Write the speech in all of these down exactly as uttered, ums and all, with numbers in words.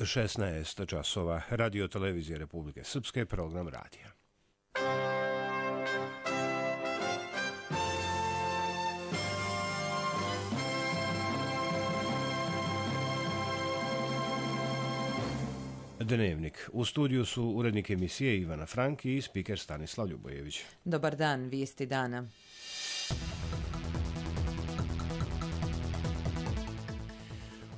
šesnaest časova, Radio televizije Republike Srpske, program radija. Dnevnik. U studiju su urednik emisije Ivana Frank i spiker Stanislav Ljubojević. Dobar dan, vijesti dana.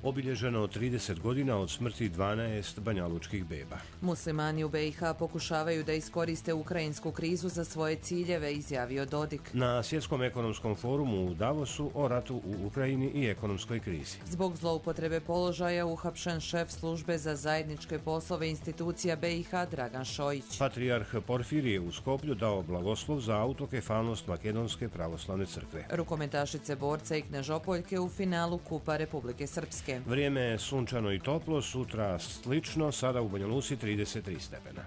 Obilježeno trideset godina od smrti dvanaest banjalučkih beba. Muslimani u B i H pokušavaju da iskoriste ukrajinsku krizu za svoje ciljeve, izjavio Dodik. Na Svjetskom ekonomskom forumu u Davosu o ratu u Ukrajini i ekonomskoj krizi. Zbog zloupotrebe položaja uhapšen šef službe za zajedničke poslove institucija B i H Dragan Šojić. Patrijarh Porfirije u Skoplju dao blagoslov za autokefalnost Makedonske pravoslavne crkve. Rukometašice borca i Knežopoljke u finalu Kupa Republike Srpske. Vrijeme je sunčano i toplo, sutra slično, sada u Banja Luci trideset tri stepena.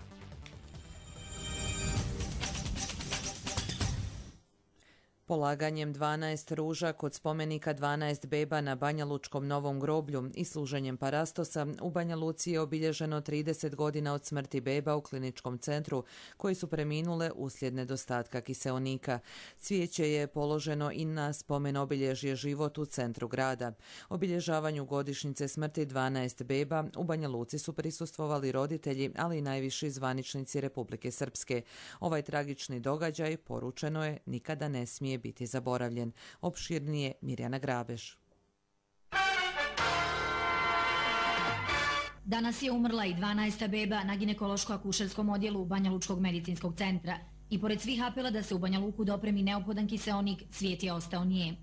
Polaganjem dvanaest ruža kod spomenika dvanaest beba na Banjalučkom Novom groblju i služenjem parastosa u Banja Luci je obilježeno trideset godina od smrti beba u kliničkom centru koji su preminule uslijed nedostatka kiseonika. Cvijeće je položeno i na spomen obilježje život u centru grada. Obilježavanju godišnjice smrti dvanaest beba u Banja Luci su prisustvovali roditelji, ali i najviši zvaničnici Republike Srpske. Ovaj tragični događaj, poručeno je, nikada ne smije biti zaboravljen. Opširnije Mirjana Grabeš. Danas je umrla i dvanaesta beba na ginekološko-akušerskom odjelu Banjalučkog medicinskog centra. I pored svih apela da se u Banja Luku dopremi neophodan kiseonik, svijet je ostao nije.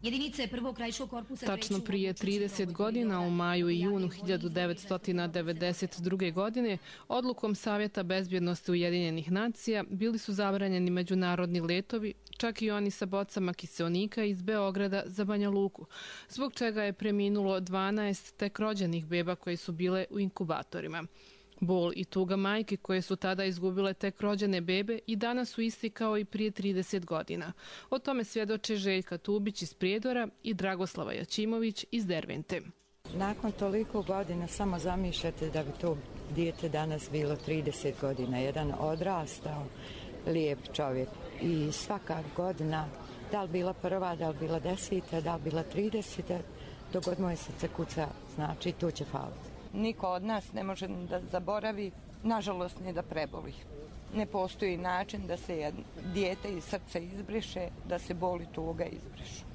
Jedinice prvog krajiškog korpusa... Tačno prije trideset godina, u maju i junu hiljadu devetsto devedeset druge. godine, odlukom Savjeta bezbjednosti Ujedinjenih nacija bili su zabranjeni međunarodni letovi, čak i oni sa bocama kiseonika iz Beograda za Banja Luku, zbog čega je preminulo dvanaest tek rođenih beba koje su bile u inkubatorima. Bol i tuga majke koje su tada izgubile tek rođene bebe i danas su isti kao i prije trideset godina. O tome svjedoče Željka Tubić iz Prijedora i Dragoslava Jačimović iz Dervente. Nakon toliko godina samo zamišljate da bi to dijete danas bilo trideset godina. Jedan odrastao, lijep čovjek i svaka godina, da li bila prva, da li bila deseta, da li bila trideseta, dok god moje srce kuca, znači to će faliti. Niko od nas ne može da zaboravi, nažalost ne da preboli. Ne postoji način da se dijete iz srca izbriše, da se boli tuga izbrišu.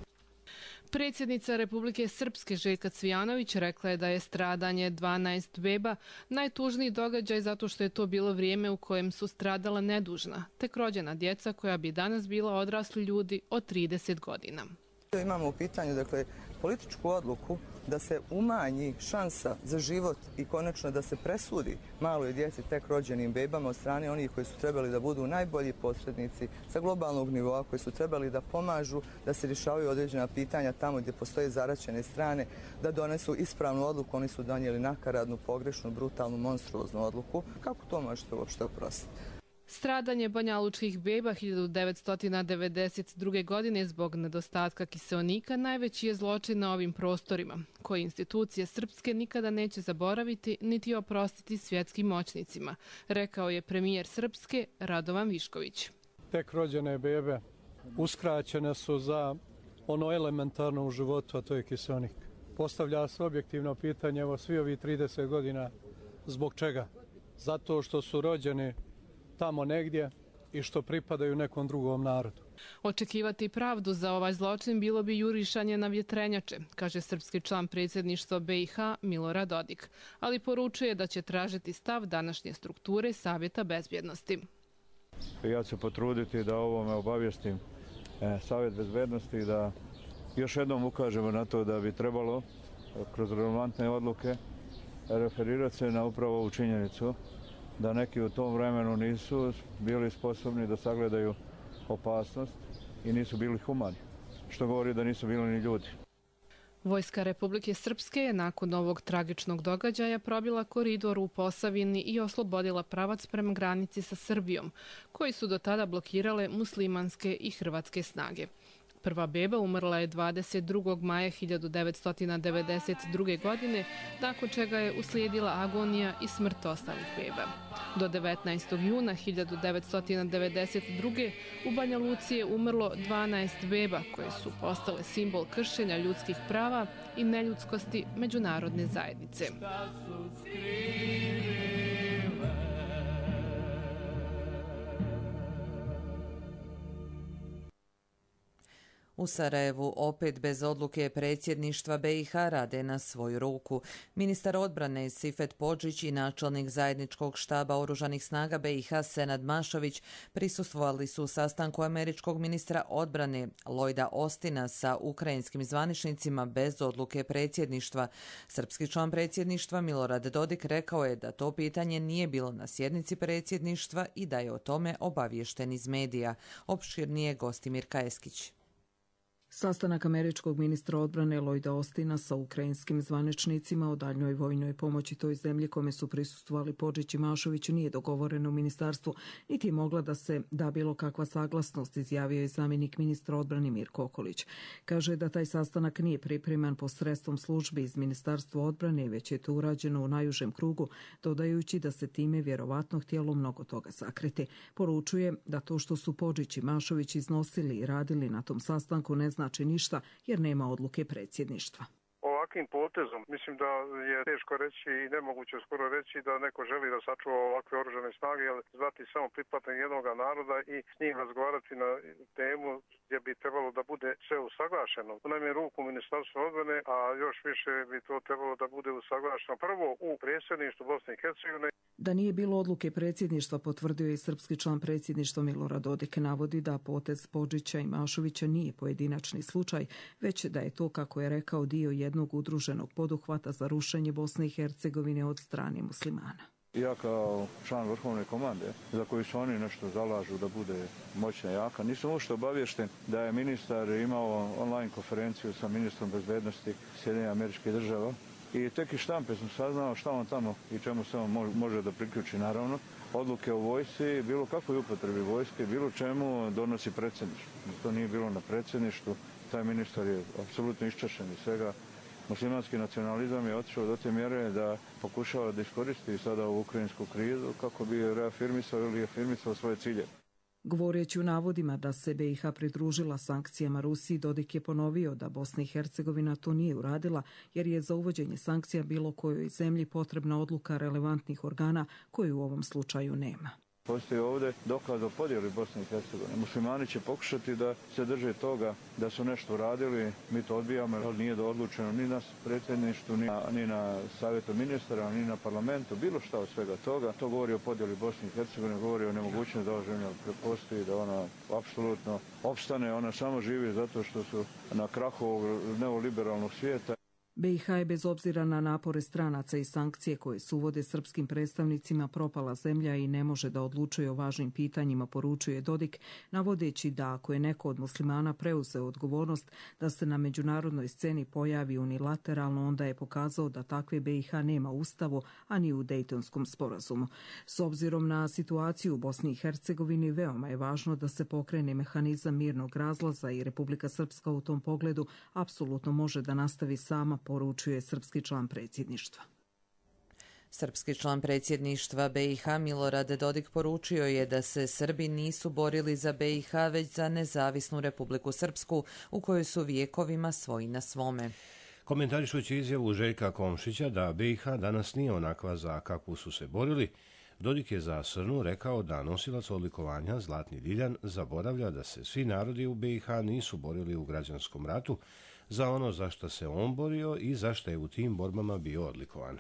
Predsjednica Republike Srpske Željka Cvijanović rekla je da je stradanje dvanaest beba najtužniji događaj zato što je to bilo vrijeme u kojem su stradala nedužna, tek rođena djeca koja bi danas bila odrasli ljudi od trideset godina. Imamo u pitanju, dakle, političku odluku da se umanji šansa za život i konačno da se presudi maloj djeci tek rođenim bebama od strane onih koji su trebali da budu najbolji posrednici sa globalnog nivoa, koji su trebali da pomažu da se rješavaju određena pitanja tamo gdje postoje zaraćene strane, da donesu ispravnu odluku. Oni su donijeli nakaradnu, pogrešnu, brutalnu, monstruoznu odluku. Kako to možete uopšte oprostiti? Stradanje banjalučkih beba hiljadu devetsto devedeset druge. godine zbog nedostatka kiseonika najveći je zločin na ovim prostorima, koji institucije srpske nikada neće zaboraviti niti oprostiti svjetskim moćnicima, rekao je premijer Srpske Radovan Višković. Tek rođene bebe uskraćene su za ono elementarno u životu, a to je kiseonik. Postavlja se objektivno pitanje, evo svi ovi trideset godina, zbog čega? Zato što su rođeni tamo negdje i što pripadaju nekom drugom narodu. Očekivati pravdu za ovaj zločin bilo bi jurišanje na vjetrenjače, kaže srpski član predsjedništva B i H Milorad Dodik, ali poručuje da će tražiti stav današnje strukture Savjeta bezbjednosti. Ja ću se potruditi da ovome obavijestim Savjet bezbjednosti, da još jednom ukažemo na to da bi trebalo kroz relevantne odluke referirati se na upravo ovu činjenicu da neki u tom vremenu nisu bili sposobni da sagledaju opasnost i nisu bili humani, što govori da nisu bili ni ljudi. Vojska Republike Srpske je nakon ovog tragičnog događaja probila koridor u Posavini i oslobodila pravac prema granici sa Srbijom, koji su do tada blokirale muslimanske i hrvatske snage. Prva beba umrla je dvadeset drugog maja hiljadu devetsto devedeset druge. godine, nakon čega je uslijedila agonija i smrt ostalih beba. Do devetnaestog juna hiljadu devetsto devedeset druge. u Banja Luci je umrlo dvanaest beba koje su postale simbol kršenja ljudskih prava i neljudskosti međunarodne zajednice. U Sarajevu opet bez odluke predsjedništva B i H rade na svoju ruku. Ministar odbrane Sifet Podžić i načelnik zajedničkog štaba oružanih snaga B i H Senad Mašović prisustvovali su sastanku američkog ministra odbrane Lloyda Austina sa ukrajinskim zvaničnicima bez odluke predsjedništva. Srpski član predsjedništva Milorad Dodik rekao je da to pitanje nije bilo na sjednici predsjedništva i da je o tome obaviješten iz medija. Opširnije Gostimir Kajeskić. Sastanak američkog ministra odbrane Lloyda Austina sa ukrajinskim zvaničnicima o daljnjoj vojnoj pomoći toj zemlji kome su prisustvovali Podžić i Mašović nije dogovoreno u ministarstvu, niti je mogla da se da bilo kakva saglasnost, izjavio je zamjenik ministra odbrane Mirko Okolić. Kaže da taj sastanak nije pripreman posredstvom službi iz ministarstva odbrane, već je to urađeno u najužem krugu, dodajući da se time vjerovatno htjelo mnogo toga sakriti. Poručuje da to što su Podžić i Mašović iznosili i radili na tom sastanku ne znači ništa jer nema odluke predsjedništva. Ovakvim potezom, mislim da je teško reći i nemoguće skoro reći da neko želi da sačuva ovakve oružane snage, jer zvati samo pripadnik jednog naroda i s njim razgovarati na temu gdje bi trebalo da bude sve usaglašeno. U najmanju ruku Ministarstva odbrane, a još više bi to trebalo da bude usaglašeno prvo u predsjedništvu Bosne i Hercegovine. Da nije bilo odluke predsjedništva, potvrdio je srpski član predsjedništva Milorad Dodik, navodi da potez Podžića i Mašovića nije pojedinačni slučaj, već da je to, kako je rekao, dio jednog udruženog poduhvata za rušenje Bosne i Hercegovine od strane muslimana. Ja kao član vrhovne komande, za koju se oni nešto zalažu da bude moćna i jaka, nisam uopšte obaviješten da je ministar imao online konferenciju sa ministrom bezbednosti Sjedinjenih Američkih Država. I tek iz štampe sam saznao šta on tamo i čemu se on može da priključi, naravno. Odluke o vojsci, bilo kakvoj upotrebi vojske, bilo čemu donosi predsjedništvo. To nije bilo na predsjedništvu, taj ministar je apsolutno iščašen iz svega. Muslimanski nacionalizam je otišao do te mjere da pokušava da iskoristi sada ovu ukrajinsku krizu kako bi reafirmisao ili afirmisao svoje cilje. Govoreći u navodima da se B i H pridružila sankcijama Rusiji, Dodik je ponovio da Bosna i Hercegovina to nije uradila jer je za uvođenje sankcija bilo kojoj zemlji potrebna odluka relevantnih organa koju u ovom slučaju nema. Postoji ovdje dokaz o podjeli Bosne i Hercegovine. Muslimani će pokušati da se drže toga da su nešto uradili, mi to odbijamo, ali nije odlučeno ni na predsjedništvu, ni na, ni na savjetu ministara, ni na parlamentu, bilo šta od svega toga. To govori o podjeli Bosne i Hercegovine, govori o nemogućnosti da ova zemlja prepostoji, da ona apsolutno opstane, ona samo živi zato što su na krahu ovog neoliberalnog svijeta. B i H je bez obzira na napore stranaca i sankcije koje se uvode srpskim predstavnicima propala zemlja i ne može da odlučuje o važnim pitanjima, poručuje Dodik, navodeći da ako je neko od muslimana preuzeo odgovornost da se na međunarodnoj sceni pojavi unilateralno, onda je pokazao da takve B i H nema u ustavu, a ni u Dejtonskom sporazumu. S obzirom na situaciju u Bosni i Hercegovini, veoma je važno da se pokrene mehanizam mirnog razlaza i Republika Srpska u tom pogledu apsolutno može da nastavi sama, poručuje srpski član predsjedništva. Srpski član predsjedništva B i H Milorad Dodik poručio je da se Srbi nisu borili za B i H već za nezavisnu Republiku Srpsku u kojoj su vijekovima svoji na svome. Komentarišući izjavu Željka Komšića da B i H danas nije onakva za kakvu su se borili, Dodik je za Srnu rekao da nosilac odlikovanja Zlatni Diljan zaboravlja da se svi narodi u B i H nisu borili u građanskom ratu za ono za što se on borio i za što je u tim borbama bio odlikovan.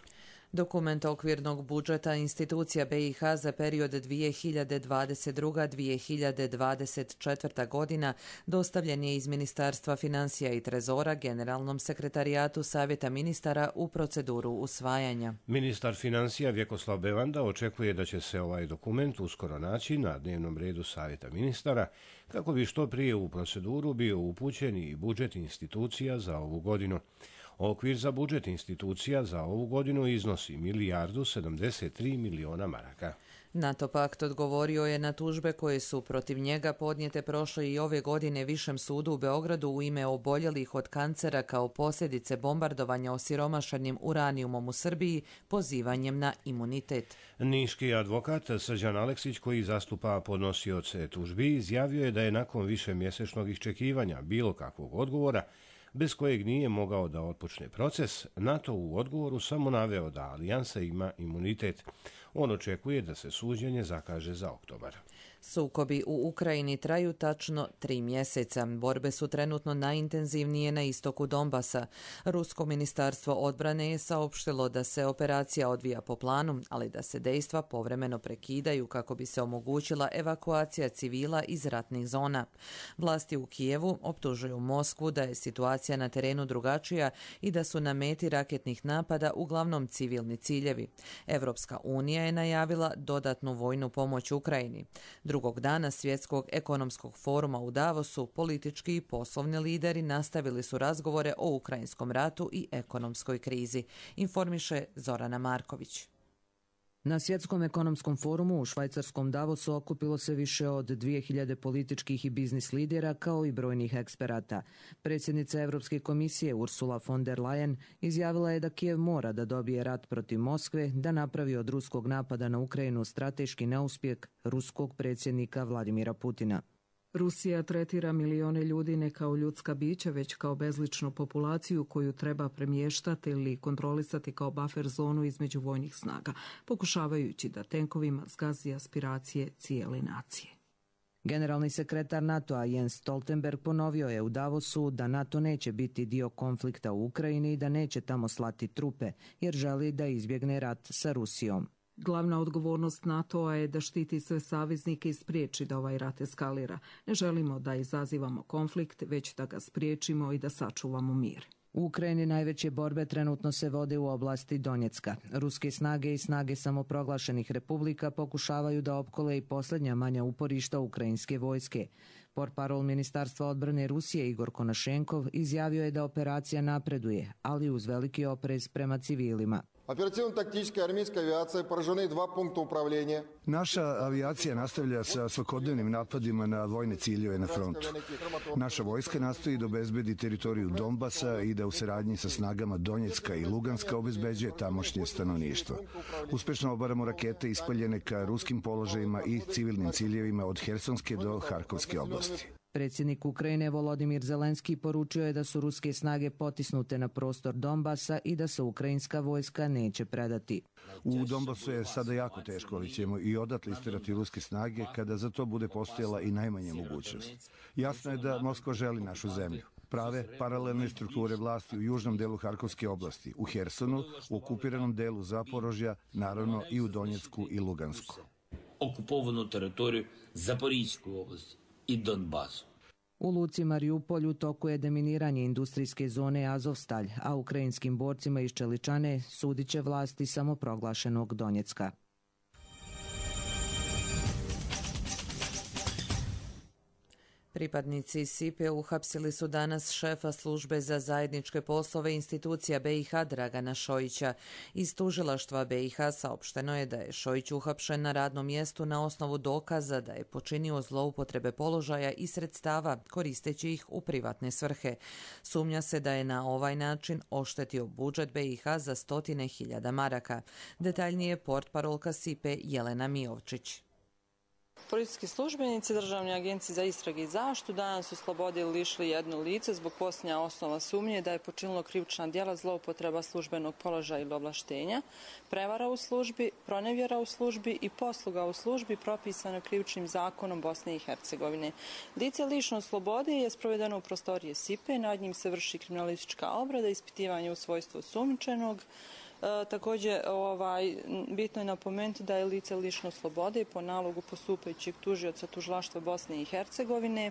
Dokument okvirnog budžeta institucija B i H za period dvije hiljade dvadeset druga do dvije hiljade dvadeset četvrta. godina dostavljen je iz Ministarstva financija i trezora Generalnom sekretarijatu Savjeta ministara u proceduru usvajanja. Ministar financija Vjekoslav Bevanda očekuje da će se ovaj dokument uskoro naći na dnevnom redu Savjeta ministara kako bi što prije u proceduru bio upućen i budžet institucija za ovu godinu. Okvir za budžet institucija za ovu godinu iznosi milijardu sedamdeset tri miliona maraka. NATO pakt odgovorio je na tužbe koje su protiv njega podnijete prošle i ove godine Višem sudu u Beogradu u ime oboljelih od kancera kao posljedice bombardovanja osiromašenim uranijumom u Srbiji pozivanjem na imunitet. Niški advokat Srđan Aleksić, koji zastupa podnosioce tužbi, izjavio je da je nakon višemjesečnog iščekivanja bilo kakvog odgovora, bez kojeg nije mogao da otpočne proces, NATO u odgovoru samo naveo da alijansa ima imunitet. On očekuje da se suđenje zakaže za oktobar. Sukobi u Ukrajini traju tačno tri mjeseca. Borbe su trenutno najintenzivnije na istoku Donbasa. Rusko ministarstvo odbrane je saopštilo da se operacija odvija po planu, ali da se dejstva povremeno prekidaju kako bi se omogućila evakuacija civila iz ratnih zona. Vlasti u Kijevu optužuju Moskvu da je situacija na terenu drugačija i da su na meti raketnih napada uglavnom civilni ciljevi. Evropska unija je najavila dodatnu vojnu pomoć Ukrajini. Drugog dana Svjetskog ekonomskog foruma u Davosu politički i poslovni lideri nastavili su razgovore o ukrajinskom ratu i ekonomskoj krizi, informiše Zorana Marković. Na Svjetskom ekonomskom forumu u švajcarskom Davosu okupilo se više od dvije hiljade političkih i biznis lidera kao i brojnih eksperata. Predsjednica Europske komisije Ursula von der Leyen izjavila je da Kijev mora da dobije rat protiv Moskve, da napravi od ruskog napada na Ukrajinu strateški neuspjeh ruskog predsjednika Vladimira Putina. Rusija tretira milione ljudi ne kao ljudska bića, već kao bezličnu populaciju koju treba premještati ili kontrolisati kao buffer zonu između vojnih snaga, pokušavajući da tenkovima zgazi aspiracije cijele nacije. Generalni sekretar NATO-a Jens Stoltenberg ponovio je u Davosu da NATO neće biti dio konflikta u Ukrajini i da neće tamo slati trupe, jer želi da izbjegne rat sa Rusijom. Glavna odgovornost NATO-a je da štiti sve saveznike i spriječi da ovaj rat eskalira. Ne želimo da izazivamo konflikt, već da ga spriječimo i da sačuvamo mir. U Ukrajini najveće borbe trenutno se vode u oblasti Donjecka. Ruske snage i snage samoproglašenih republika pokušavaju da opkole i posljednja manja uporišta ukrajinske vojske. Portparol Ministarstva odbrane Rusije Igor Konašenkov izjavio je da operacija napreduje, ali uz veliki oprez prema civilima. Оперативно-тактическая армейская авиация поражены два пункта управления. Naša avijacija nastavlja sa svakodnevnim napadima na vojne ciljeve na frontu. Naša vojska nastoji da obezbedi teritoriju Donbasa i da u saradnji sa snagama Donjecka i Luganska obezbeđuje tamošnje stanovništvo. Uspešno obaramo rakete ispaljene ka ruskim položajima i civilnim ciljevima od Hersonske do Harkovske oblasti. Predsjednik Ukrajine Volodimir Zelenski poručio je da su ruske snage potisnute na prostor Donbasa i da se ukrajinska vojska neće predati. U Donbasu je sada jako teško, ali ćemo i odatle istirati ruske snage kada za to bude postojala i najmanja mogućnost. Jasno je da Moskva želi našu zemlju. Prave paralelne strukture vlasti u južnom delu Harkovske oblasti, u Hersonu, u okupiranom delu Zaporožja, naravno i u Donjecku i Lugansku. Okupovanu teritoriju Zaporijske oblasti i Donbasu. U luci Mariupolj u toku je deminiranje industrijske zone Azovstalj, a ukrajinskim borcima iz Čeličane sudit će vlasti samoproglašenog Donjecka. Pripadnici Sipe uhapsili su danas šefa službe za zajedničke poslove institucija B i H Dragana Šojića. Iz tužilaštva B i H saopšteno je da je Šojić uhapšen na radnom mjestu na osnovu dokaza da je počinio zloupotrebe položaja i sredstava koristeći ih u privatne svrhe. Sumnja se da je na ovaj način oštetio budžet B i H za stotine hiljada maraka. Detaljnije portparolka Sipe Jelena Mijovčić. Policijski službenici Državne agencije za istrage i zaštitu danas su slobode lišili jedno lice zbog postojanja osnova sumnje da je počinilo krivična djela zloupotreba službenog položaja ili ovlaštenja, prevara u službi, pronevjera u službi i posluga u službi propisano krivičnim zakonom Bosne i Hercegovine. Lice lišeno slobode je sprovedeno u prostorije Sipe, nad njim se vrši kriminalistička obrada, ispitivanje u svojstvu osumnjičenog. E, također, ovaj, bitno je napomenuti da je lice lišeno slobode po nalogu postupajućeg tužioca tužilaštva Bosne i Hercegovine.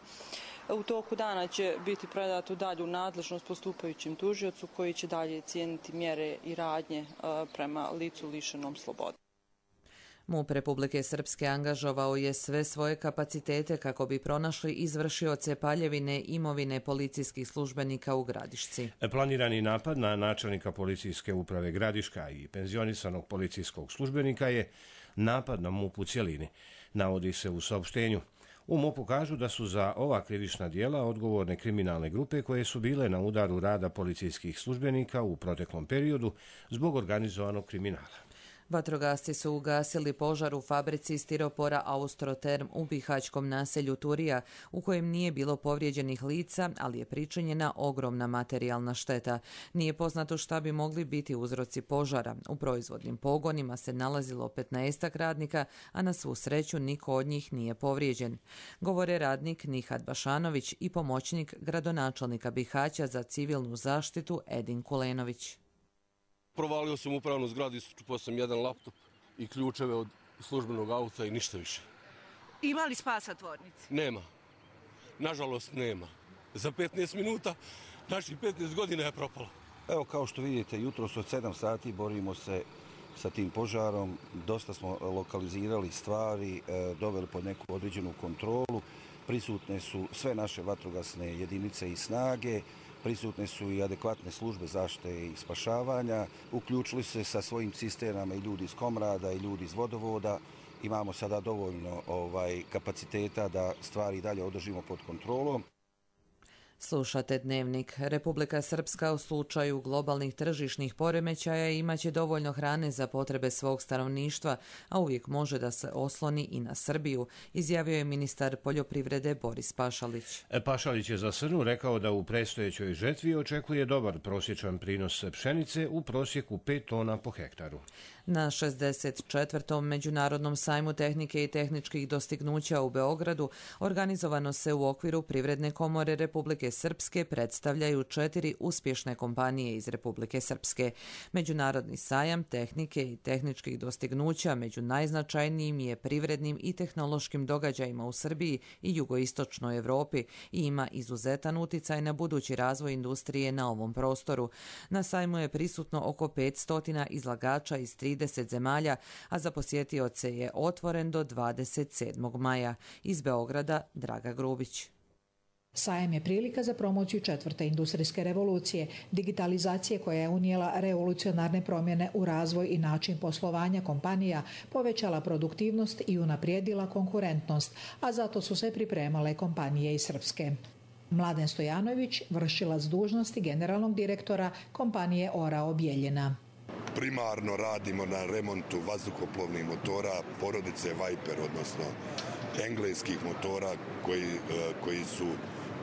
U toku dana će biti predato dalje u nadležnost postupajućem tužiocu koji će dalje cijeniti mjere i radnje e, prema licu lišenom slobode. MUP Republike Srpske angažovao je sve svoje kapacitete kako bi pronašli izvršioce paljevine imovine policijskih službenika u Gradišci. Planirani napad na načelnika policijske uprave Gradiška i penzionisanog policijskog službenika je napad na MUP u cjelini, navodi se u saopštenju. U MUP-u kažu da su za ova krivična djela odgovorne kriminalne grupe koje su bile na udaru rada policijskih službenika u proteklom periodu zbog organizovanog kriminala. Vatrogasci su ugasili požar u fabrici stiropora Austroterm u bihaćkom naselju Turija, u kojem nije bilo povrijeđenih lica, ali je pričinjena ogromna materijalna šteta. Nije poznato šta bi mogli biti uzroci požara. U proizvodnim pogonima se nalazilo petnaestak radnika, a na svu sreću niko od njih nije povrijeđen. Govore radnik Nihad Bašanović i pomoćnik gradonačelnika Bihaća za civilnu zaštitu Edin Kulenović. Provalio sam upravnu zgradu, isčupao sam jedan laptop i ključeve od službenog auta i ništa više. Ima li spasa tvornici? Nema. Nažalost nema. Za petnaest minuta naših petnaest godina je propalo. Evo, kao što vidite, jutros od sedam sati borimo se sa tim požarom. Dosta smo lokalizirali stvari, doveli pod neku određenu kontrolu. Prisutne su sve naše vatrogasne jedinice i snage. Prisutne su i adekvatne službe zaštite i spašavanja. Uključili se sa svojim cisternama i ljudi iz Komrada i ljudi iz vodovoda. Imamo sada dovoljno ovaj, kapaciteta da stvari dalje održimo pod kontrolom. Slušate Dnevnik. Republika Srpska u slučaju globalnih tržišnih poremećaja imaće dovoljno hrane za potrebe svog stanovništva, a uvijek može da se osloni i na Srbiju, izjavio je ministar poljoprivrede Boris Pašalić. Pašalić je za Srnu rekao da u predstojećoj žetvi očekuje dobar prosječan prinos pšenice u prosjeku pet tona po hektaru. Na šezdeset četvrtom Međunarodnom sajmu tehnike i tehničkih dostignuća u Beogradu organizovano se u okviru Privredne komore Republike Srpske predstavljaju četiri uspješne kompanije iz Republike Srpske. Međunarodni sajam tehnike i tehničkih dostignuća među najznačajnijim je privrednim i tehnološkim događajima u Srbiji i jugoistočnoj Evropi i ima izuzetan uticaj na budući razvoj industrije na ovom prostoru. Na sajmu je prisutno oko petsto izlagača iz trideset zemalja, a za posjetioce je otvoren do dvadeset sedmog maja. Iz Beograda Draga Grubić. Sajam je prilika za promociju četvrte industrijske revolucije, digitalizacije koja je unijela revolucionarne promjene u razvoj i način poslovanja kompanija, povećala produktivnost i unaprijedila konkurentnost, a zato su se pripremale kompanije iz Srpske. Mladen Stojanović, vršilac dužnosti generalnog direktora kompanije Orao Bijeljina. Primarno radimo na remontu vazduhoplovnih motora porodice Viper, odnosno engleskih motora koji, koji su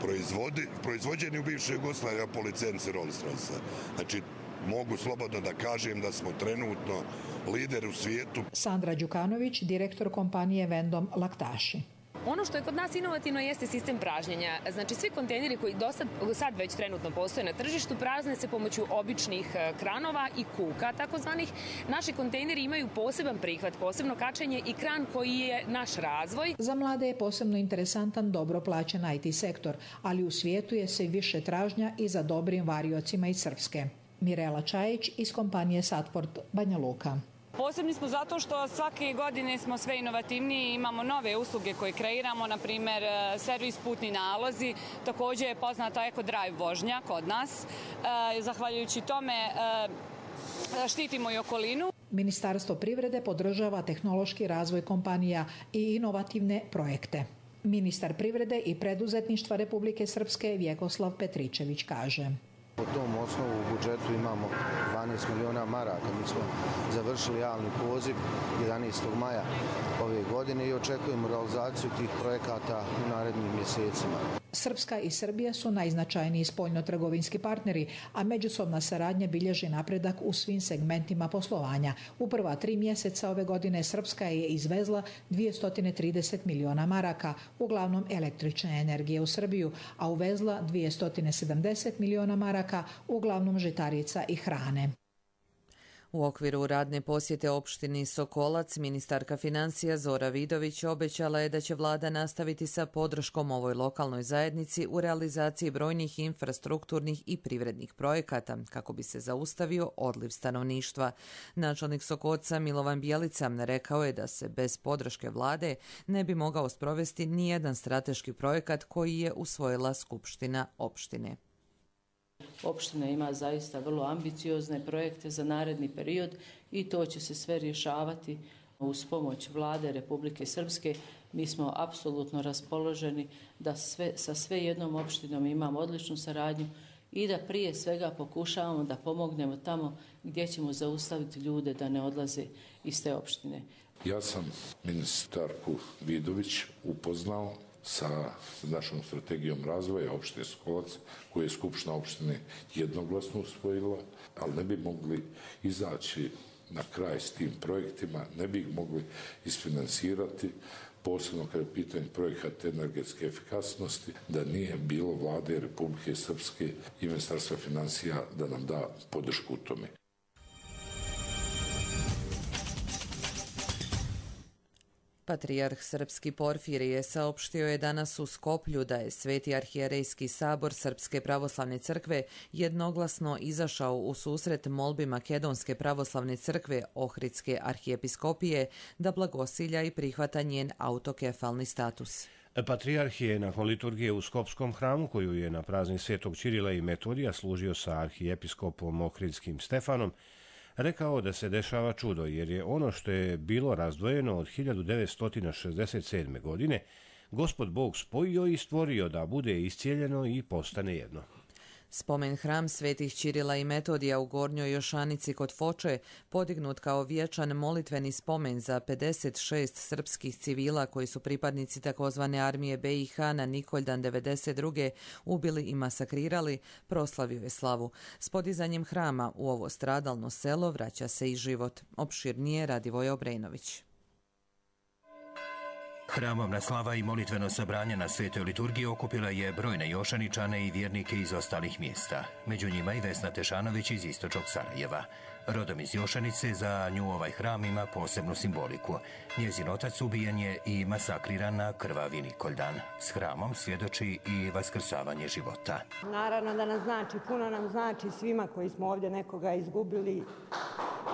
proizvodi, proizvođeni u bivšoj Jugoslaviji po licenci Rolls-Royce. Znači, mogu slobodno da kažem da smo trenutno lider u svijetu. Sandra Đukanović, direktor kompanije Vendom Laktaši. Ono što je kod nas inovativno jeste sistem pražnjenja. Znači, svi kontejneri koji do sad, sad već trenutno postoje na tržištu prazne se pomoću običnih kranova i kuka takozvanih. Naši kontejneri imaju poseban prihvat, posebno kačenje i kran koji je naš razvoj. Za mlade je posebno interesantan dobro plaćen I T sektor, ali u svijetu je sve više tražnja i za dobrim variocima iz Srpske. Mirela Čajić iz kompanije Satport Banja Luka. Posebni smo zato što svake godine smo sve inovativniji i imamo nove usluge koje kreiramo, na primjer servis putni nalozi, također je poznata Eco Drive vožnja kod nas. Zahvaljujući tome štitimo i okolinu. Ministarstvo privrede podržava tehnološki razvoj kompanija i inovativne projekte. Ministar privrede i preduzetništva Republike Srpske Vjekoslav Petričević kaže. Po tom osnovu u budžetu imamo dvanaest miliona maraka. Mi smo završili javni poziv jedanaestog maja ove godine i očekujemo realizaciju tih projekata u narednim mjesecima. Srpska i Srbija su najznačajniji spoljnotrgovinski partneri, a međusobna saradnja bilježi napredak u svim segmentima poslovanja. U prva tri mjeseca ove godine Srpska je izvezla dvjesto trideset miliona maraka, uglavnom električne energije u Srbiju, a uvezla dvjesto sedamdeset miliona maraka, uglavnom žitarica i hrane. U okviru radne posjete opštini Sokolac, ministarka financija Zora Vidović obećala je da će vlada nastaviti sa podrškom ovoj lokalnoj zajednici u realizaciji brojnih infrastrukturnih i privrednih projekata kako bi se zaustavio odliv stanovništva. Načelnik Sokoca Milovan Bjelica rekao je da se bez podrške vlade ne bi mogao sprovesti nijedan strateški projekat koji je usvojila Skupština opštine. Opština ima zaista vrlo ambiciozne projekte za naredni period i to će se sve rješavati uz pomoć vlade Republike Srpske. Mi smo apsolutno raspoloženi da sve, sa sve jednom opštinom imamo odličnu saradnju i da prije svega pokušavamo da pomognemo tamo gdje ćemo zaustaviti ljude da ne odlaze iz te opštine. Ja sam ministarku Vidović upoznao sa našom strategijom razvoja opštine Sokolac, koju je Skupština opštine jednoglasno usvojila, ali ne bi mogli izaći na kraj s tim projektima, ne bi ih mogli isfinansirati, posebno kada je pitanje projekata energetske efikasnosti, da nije bilo vlade Republike Srpske i Ministarstva financija da nam da podršku u tome. Patrijarh srpski Porfirije saopštio je danas u Skoplju da je Sveti arhijerejski sabor Srpske pravoslavne crkve jednoglasno izašao u susret molbi Makedonske pravoslavne crkve Ohridske arhijepiskopije da blagosilja i prihvata njen autokefalni status. Patrijarh je nakon liturgije u Skopskom hramu, koju je na praznik Svetog Ćirila i Metodija služio sa arhijepiskopom Ohridskim Stefanom, rekao da se dešava čudo, jer je ono što je bilo razdvojeno od hiljadu devetsto šezdeset sedme. godine Gospod Bog spojio i stvorio da bude iscijeljeno i postane jedno. Spomen hram Svetih Ćirila i Metodija u Gornjoj Jošanici kod Foče, podignut kao vječan molitveni spomen za pedeset šest srpskih civila koji su pripadnici takozvane armije B i H na Nikoldan devedeset druge ubili i masakrirali, proslavio je slavu. S podizanjem hrama u ovo stradalno selo vraća se i život. Opširnije Radivoj Obrenović. Hramovna slava i molitveno sabranje na Svetoj liturgiji okupila je brojne Jošaničane i vjernike iz ostalih mjesta. Među njima i Vesna Tešanović iz istočnog Sarajeva. Rodom iz Jošanice, za nju ovaj hram ima posebnu simboliku. Njezin otac ubijen je i masakriran na krvavi Nikoldan. S hramom svjedoči i vaskrsavanje života. Naravno da nam znači, puno nam znači svima koji smo ovdje nekoga izgubili.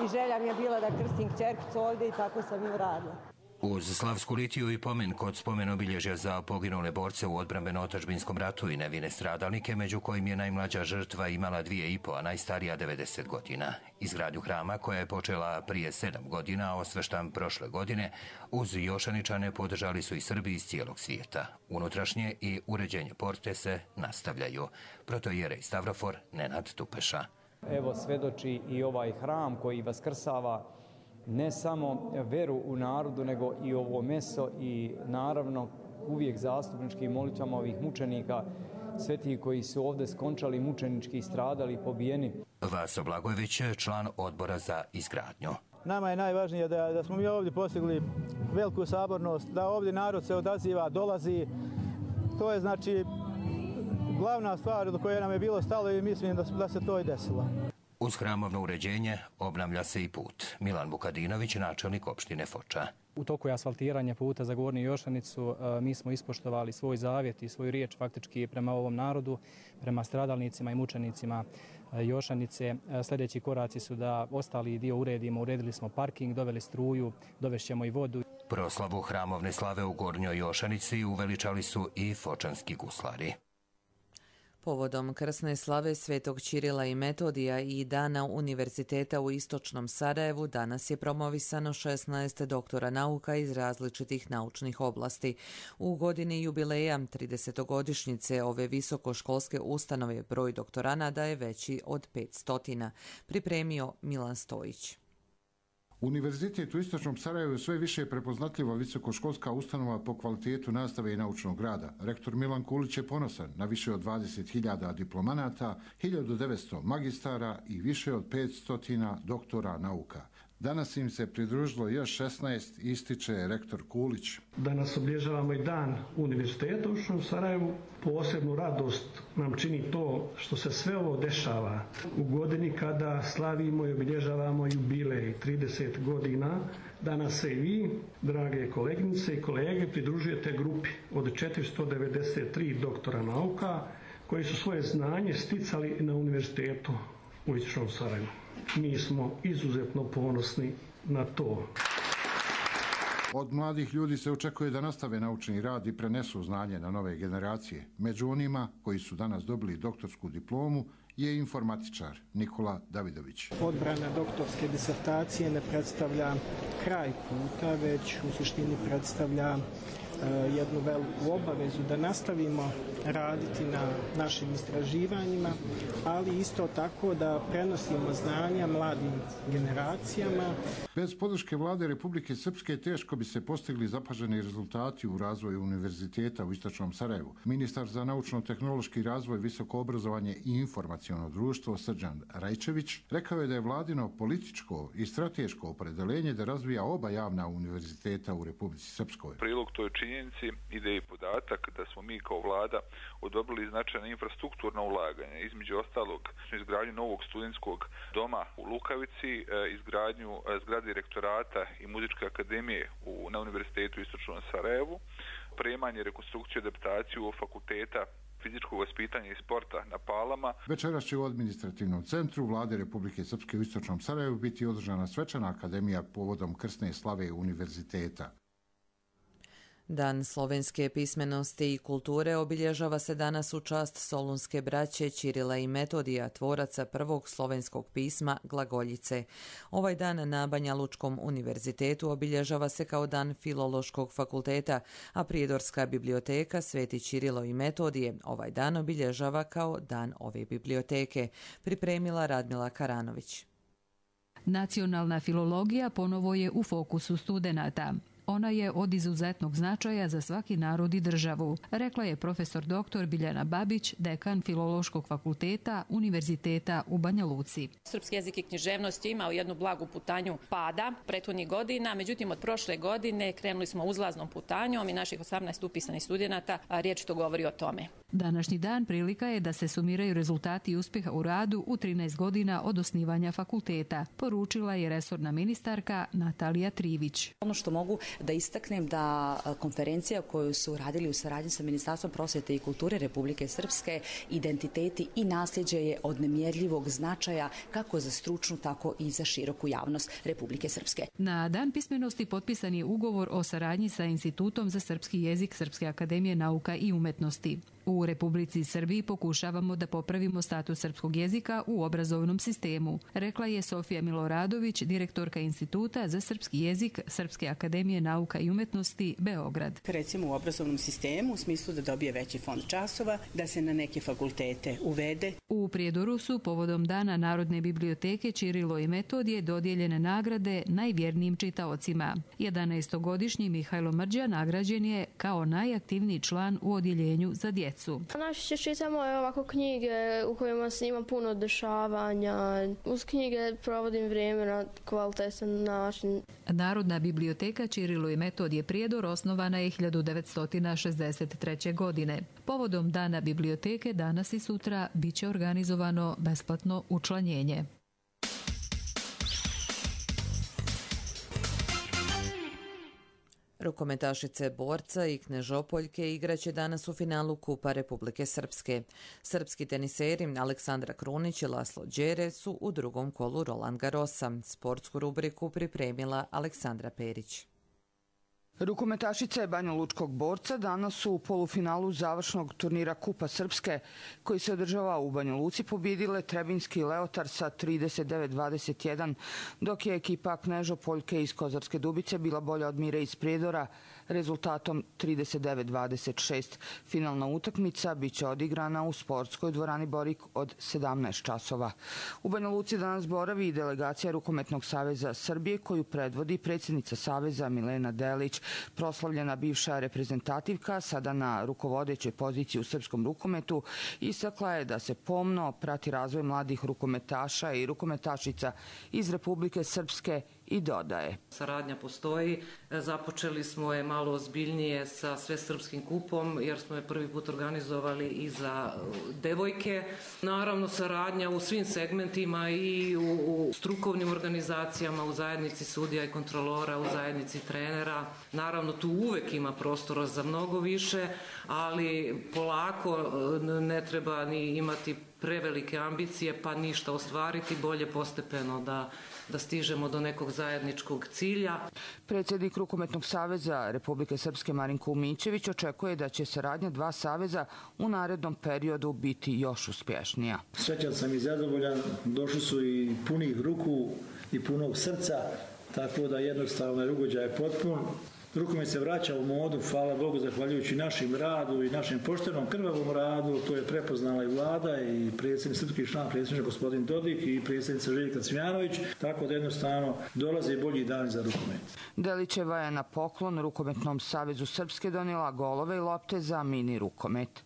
I želja mi je bila da krstim kćerkicu ovdje i tako sam i uradila. Uz slavsku litiju i pomen kod spomen obilježja za poginule borce u odbrambeno-otadžbinskom ratu i nevine stradalnike, među kojim je najmlađa žrtva imala dvije i po, a najstarija devedeset godina. Izgradnju hrama, koja je počela prije sedam godina, a osveštan prošle godine, uz Jošaničane podržali su i Srbi iz cijelog svijeta. Unutrašnje i uređenje porte se nastavljaju. Protoijerej Stavrofor Nenad Tupeša. Evo svedoči i ovaj hram koji vaskrsava ne samo veru u narodu, nego i ovo meso i naravno uvijek zastupničkim molitvama ovih mučenika, svetih koji su ovdje skončali mučenički i stradali i pobijeni. Vaso Blagojević, član odbora za izgradnju. Nama je najvažnije da, da smo mi ovdje postigli veliku sabornost, da ovdje narod se odaziva, dolazi. To je znači glavna stvar do koje nam je bilo stalo i mislim da, da se to i desilo. Uz hramovno uređenje obnavlja se i put. Milan Vukadinović, načelnik opštine Foča. U toku je asfaltiranja puta za Gornju Jošanicu. Mi smo ispoštovali svoj zavjet i svoju riječ faktički prema ovom narodu, prema stradalnicima i mučenicima Jošanice. Sljedeći koraci su da ostali dio uredimo. Uredili smo parking, doveli struju, dovešćemo i vodu. Proslavu hramovne slave u Gornjoj Jošanici uveličali su i fočanski guslari. Povodom krsne slave Svetog Ćirila i Metodija i Dana Univerziteta u Istočnom Sarajevu danas je promovisano šesnaest doktora nauka iz različitih naučnih oblasti. U godini jubileja tridesetogodišnjice ove visokoškolske ustanove broj doktoranada je veći od petsto. Pripremio Milan Stojić. Univerzitet u Istočnom Sarajevu sve više je prepoznatljiva visokoškolska ustanova po kvalitetu nastave i naučnog rada. Rektor Milan Kulić je ponosan na više od dvadeset hiljada diplomanata, hiljadu devetsto magistara i više od petsto doktora nauka. Danas im se pridružilo još šesnaest, ističe rektor Kulić. Danas obilježavamo i dan Univerziteta u Sarajevu. Posebnu radost nam čini to što se sve ovo dešava u godini kada slavimo i obilježavamo jubilej trideset godina. Danas se i vi, drage koleginice i kolege, pridružujete grupi od četiristo devedeset tri doktora nauka koji su svoje znanje sticali na Univerzitetu u Istočnom Sarajevu. Mi smo izuzetno ponosni na to. Od mladih ljudi se očekuje da nastave naučni rad i prenesu znanje na nove generacije. Među onima koji su danas dobili doktorsku diplomu je informatičar Nikola Davidović. Odbrana doktorske disertacije ne predstavlja kraj puta, već u suštini predstavlja jednu veliku obavezu da nastavimo raditi na našim istraživanjima, ali isto tako da prenosimo znanja mladim generacijama. Bez podrške vlade Republike Srpske teško bi se postigli zapaženi rezultati u razvoju univerziteta u Istočnom Sarajevu. Ministar za naučno-tehnološki razvoj, visoko obrazovanje i informaciono društvo Srđan Rajčević rekao je da je vladino političko i strateško opredeljenje da razvija oba javna univerziteta u Republici Srpskoj. Prilog toj činjenici ide i podatak da smo mi kao vlada odobrili značajna infrastrukturna ulaganja, između ostalog izgradnju novog studentskog doma u Lukavici, izgradnju zgrade rektorata i muzičke akademije u, na Univerzitetu u Istočnom Sarajevu, opremanje, rekonstrukciju i adaptaciju fakulteta fizičkog vaspitanja i sporta na Palama. Večeras će u administrativnom centru vlade Republike Srpske u Istočnom Sarajevu biti održana svečana akademija povodom krsne slave univerziteta. Dan slovenske pismenosti i kulture obilježava se danas u čast solunske braće Ćirila i Metodija, tvoraca prvog slovenskog pisma glagoljice. Ovaj dan na Banja Lučkom univerzitetu obilježava se kao dan Filološkog fakulteta, a Prijedorska biblioteka Sveti Ćirilo i Metodije ovaj dan obilježava kao dan ove biblioteke, pripremila Radmila Karanović. Nacionalna filologija ponovo je u fokusu studenata. Ona je od izuzetnog značaja za svaki narod i državu, rekla je profesor doktor Biljana Babić, dekan Filološkog fakulteta Univerziteta u Banja Luci. Srpski jezik i književnost je imao jednu blagu putanju pada prethodnih godina, međutim od prošle godine krenuli smo uzlaznom putanjom i naših osamnaest upisanih studenata riječ to govori o tome. Današnji dan prilika je da se sumiraju rezultati uspjeha u radu u trinaest godina od osnivanja fakulteta, poručila je resorna ministarka Natalija Trivić. Ono što mogu da istaknem da konferencija koju su radili u saradnji sa Ministarstvom prosvjete i kulture Republike Srpske, identiteti i nasljeđe je od nemjerljivog značaja kako za stručnu, tako i za široku javnost Republike Srpske. Na Dan pismenosti potpisan je ugovor o saradnji sa Institutom za srpski jezik Srpske akademije nauka i umetnosti. U Republici Srbiji pokušavamo da popravimo status srpskog jezika u obrazovnom sistemu, rekla je Sofija Miloradović, direktorka Instituta za srpski jezik Srpske akademije nauka i umetnosti Beograd. Recimo u obrazovnom sistemu u smislu da dobije veći fond časova, da se na neke fakultete uvede. U Prijedoru su povodom Dana Narodne biblioteke Ćirilo i Metodije dodijeljene nagrade najvjernijim čitaocima. jedanaestogodišnji Mihajlo Mrđa nagrađen je kao najaktivniji član u odjeljenju za djecu. Najčešće čitamo ovako knjige u kojima se ima puno dešavanja. Uz knjige provodim vrijeme na kvalitetan način. Narodna biblioteka Ćirilo i Metodije Prijedor osnovana je hiljadu devetsto šezdeset treće. godine. Povodom Dana biblioteke danas i sutra biće organizovano besplatno učlanjenje. Rukometašice borca i Knežopoljke igraće danas u finalu Kupa Republike Srpske. Srpski teniseri Aleksandra Krunić i Laslo Đere su u drugom kolu Roland Garrosa. Sportsku rubriku pripremila Aleksandra Perić. Rukometašice Banja Lučkog borca danas su u polufinalu završnog turnira Kupa Srpske, koji se održava u Banja Luci, pobjedile Trebinski Leotar sa trideset devet dvadeset jedan, dok je ekipa Knežopoljke iz Kozarske Dubice bila bolja od Mire iz Prijedora rezultatom trideset devet dvadeset šest. Finalna utakmica biće odigrana u sportskoj dvorani Borik od sedamnaest časova. U Banja Luci danas boravi i delegacija Rukometnog saveza Srbije, koju predvodi predsjednica saveza Milena Delić. Proslavljena bivša reprezentativka, sada na rukovodećoj poziciji u srpskom rukometu, istakla je da se pomno prati razvoj mladih rukometaša i rukometašica iz Republike Srpske i dodaje. Saradnja postoji. Započeli smo je malo ozbiljnije sa Svesrpskim kupom jer smo je prvi put organizovali i za devojke. Naravno, saradnja u svim segmentima i u, u strukovnim organizacijama, u zajednici sudija i kontrolora, u zajednici trenera. Naravno, tu uvek ima prostora za mnogo više, ali polako ne treba ni imati prevelike ambicije pa ništa ostvariti, bolje postepeno da, da stižemo do nekog zajedničkog cilja. Predsjednik Rukometnog saveza Republike Srpske Marinko Umićević očekuje da će saradnja dva saveza u narednom periodu biti još uspješnija. Srećan sam i zadovoljan, došli su i punih ruku i punog srca, tako da jednostavno je ugođaj potpun. Rukomet se vraća u modu, hvala Bogu, zahvaljujući našim radu i našem poštenom krvavom radu. To je prepoznala i vlada i predsjednik srpski član predsjednik gospodin Dodik i predsjednica Željka Cvijanović, tako da jednostavno dolaze bolji dani za rukomet. Delićeva je na poklon Rukometnom savezu Srpske donijela golove i lopte za mini rukomet.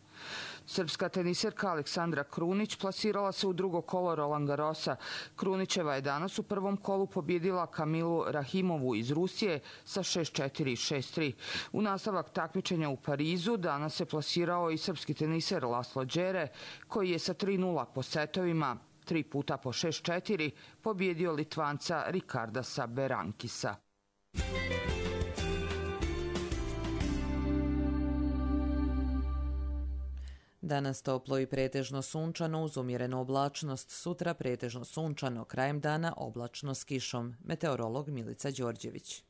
Srpska teniserka Aleksandra Krunić plasirala se u drugo kolo Roland Garrosa. Krunićeva je danas u prvom kolu pobjedila Kamilu Rahimovu iz Rusije sa šest četiri i šest tri. U nastavak takmičenja u Parizu danas se plasirao i srpski teniser Laslo Đere, koji je sa tri nula po setovima, tri puta po šest četiri, pobjedio Litvanca Rikardasa Berankisa. Danas toplo i pretežno sunčano uz umjerenu oblačnost, sutra pretežno sunčano, krajem dana oblačno s kišom. Meteorolog Milica Đorđević.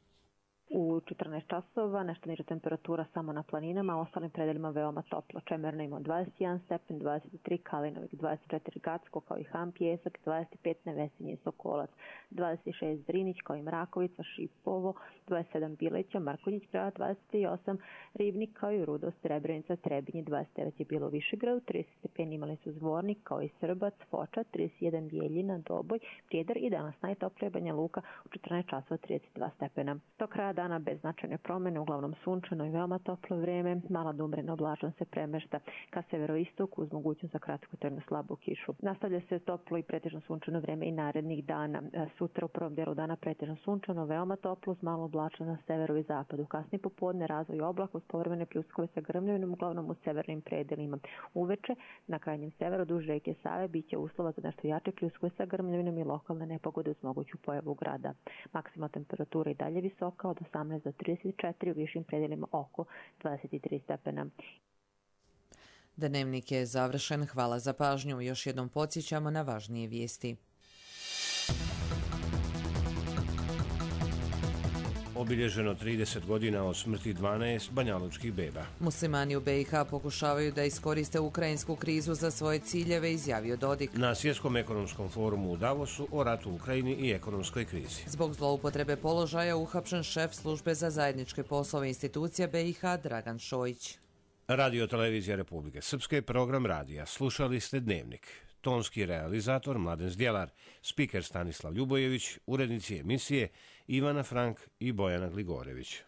U četrnaest časova nešto niža temperatura samo na planinama, a ostalim predelima veoma toplo. Čemerno ima dvadeset jedan stepen, dvadeset tri Kalinovik, dvadeset četiri Gacko kao i Ham Pjesak, dvadeset pet Nevesinje i Sokolac, dvadeset šest Drinić kao i Mrakovica, Šipovo, dvadeset sedam Bileća, Markonjić grad, dvadeset osam Ribnik kao i Rudo, Srebrenica, Trebinje, dvadeset devet je bilo u Višegradu, trideset stepeni imali su Zvornik kao i Srbac, Foča, trideset jedan Bijeljina, Doboj, Prijedar i danas najtoplije Banja Luka u četrnaest časova trideset dva stepena. Do kraja dana bez značajne promjene, uglavnom sunčano i veoma toplo vrijeme, mala da umjerena oblačnost se premješta ka severoistoku uz mogućnost za kratkotrajnu slabu kišu. Nastavlja se toplo i pretežno sunčano vrijeme i narednih dana. Sutra u prvom dijelu dana pretežno sunčano, veoma toplo uz malo oblačnost na severu i zapadu. Kasnije popodne razvoj oblaka uz povremene pljuskove sa grmljavinom, uglavnom u severnim predelima. Uveče na krajnjem severu duž rijeke Save biće uslova za nešto jače pljuskove sa grmljavinom i lokalne nepogode uz moguću pojavu grada. Maksimalna temperatura i dalje visoka od osamnaest do trideset četiri, u višim predelima oko dvadeset tri stepena. Dnevnik je završen. Hvala za pažnju. Još jednom podsjećamo na važnije vijesti. Obilježeno trideset godina od smrti dvanaest banjalučkih beba. Muslimani u B i H pokušavaju da iskoriste ukrajinsku krizu za svoje ciljeve, izjavio Dodik. Na Svjetskom ekonomskom forumu u Davosu o ratu u Ukrajini i ekonomskoj krizi. Zbog zloupotrebe položaja uhapšen šef službe za zajedničke poslove institucija B i H Dragan Šojić. Radio Televizija Republike Srpske, program radija. Slušali ste Dnevnik. Tonski realizator Mladen Zdjelar, spiker Stanislav Ljubojević, urednici emisije Ivana Frank i Bojana Gligorević.